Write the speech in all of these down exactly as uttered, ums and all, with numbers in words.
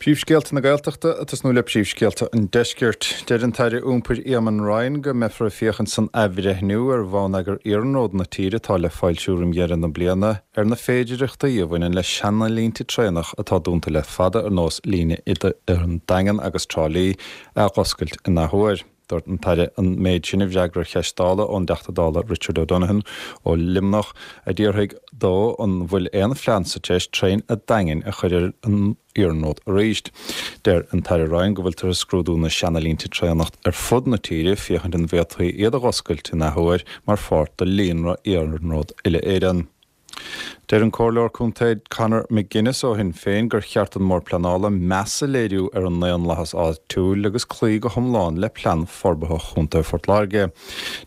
Príomhscéalta na Gaeltachta ag tosnú le príomhscéalta an Deiscirt. Deir an tAire Iompair Eamon Ryan go mbeifear ag féachaint san athbhreithniú ar bhonneagar iarnróid na tíre atá le foilsiú roimh dheireadh na bliana ar na féidearthachtaí a bhaineann le seanalínte traenach atá dúnta le fada ar nós líne idir an Daingean agus Trá Lí a dh'oscailt in athuair. Dúirt an tAire an méid sin i bhfreagra ar cheist Dála ón dTeachta Dála Richard O'Donovan ó Luimneach a d'fhiafraigh dó an bhfuil aon phlean sa treis traein an Daingin a chur ar an iarnród arís. Deir an tAire Ryan go bhfuiltear ag scrúdú na seanalínte traenach ar fud na tíre féachaint an bhféadfaí iad a dh'oscailt in athuair mar pháirt de líonra iarnróid uile-Éireann. Deir an Comhairleoir Contae Conor McGuinness ó Shinn Féin gur cheart don mBord Pleanála meas a léiriú ar an ndaonlathas áitiúil agus cloí go hiomlán le plean forbartha Chontae Phort Láirge.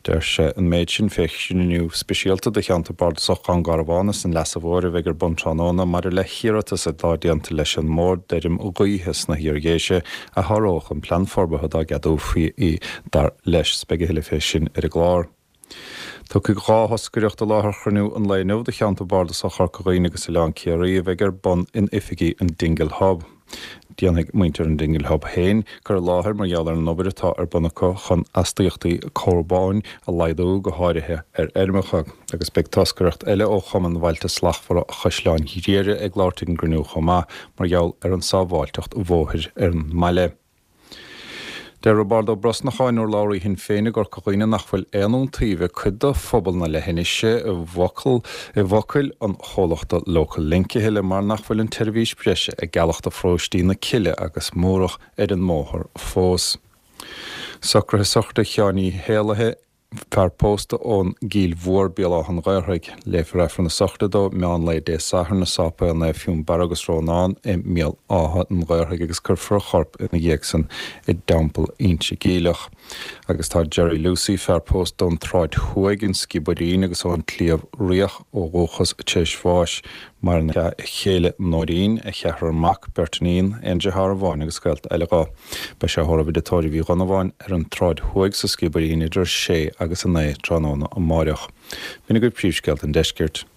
Deir sé an méid sin fé chruinniú speisialta de cheantar bardasach Dhún Garbhán agus an Leasa Mhóir a bheidh ar bun tráthnóna maidir le hiarratas atá déanta leis an mBord d'fheirm ghaoithe sna hIardhéise a sháródh an plean forbartha dá gceadófaí í dar leis. Beidh a thuilleadh fé sin ar an gclár. Tiocfaidh dhá thoscaireacht i láthair chruinniú an lae inniu de cheantar bardasach Chorca Dhuibhne agus Oileán Ciarraí a bheidh ar bun in oifigí an Dingle Hub. Déanfaidh muintir an Dingle Hub féin cur i láthair mar gheall ar an obair atá ar bun acu chun astaíochtaí carbóin a laghdú go háirithe ar fheirmeacha, agus beidh toscaireacht eile ó Chumann Bhailte Slachtmhara Chaisleán Ghriaire ag labhairt ag an gcruinniú chomh maith mar gheall ar an sábháilteacht bhóthair ar an mbaile. Deir Roibeárd Ó Brosnacháin, urlabhraí Shinn Féin i gCorca Dhuibhne nach bhfuil aon iontaoibh ag cuid de phobal na leithinise i bhfocal i bhfocail an chomhlachta Local Link a thuilleadh mar nach bhfuil an tseirbhís breise ag gealach do pharóistí na Cille agus Múrach ar an mbóthar fós. Socruithe sochraide Sheáin Uí Héalaithe fear pósta ón gCill Mhór, Béal Átha an Ghaorthaidh. Léifear Aifreann na sochraide dó meán lae Dé Sathairn i Sáipéal Naomh Fionnbarra agus Rónán i mBéal Átha an Ghaorthaidh agus cuirfear a chorp ina dhiaidh san i dTeampall Inse Geimhleach. Agus tá Jerry Lucey, fear pósta ón tSráid Thuaidh, an Sciobairín agus ón tSliabh Riach ó dhúchas tar éis bháis. Maireann a chéile Nóirín, a cheathrar mac, beirt iníon, aon deartháir amháin agus gaolta eile dhó. Beidh sé á thórramh i dtigh tórraimh Uí Dhonnabháin ar an tSráid Thuaidh sa Sciobairín idir a sé agus a naoi tráthnóna amáireach. B'in agaibh príomhscéalta an deiscirt.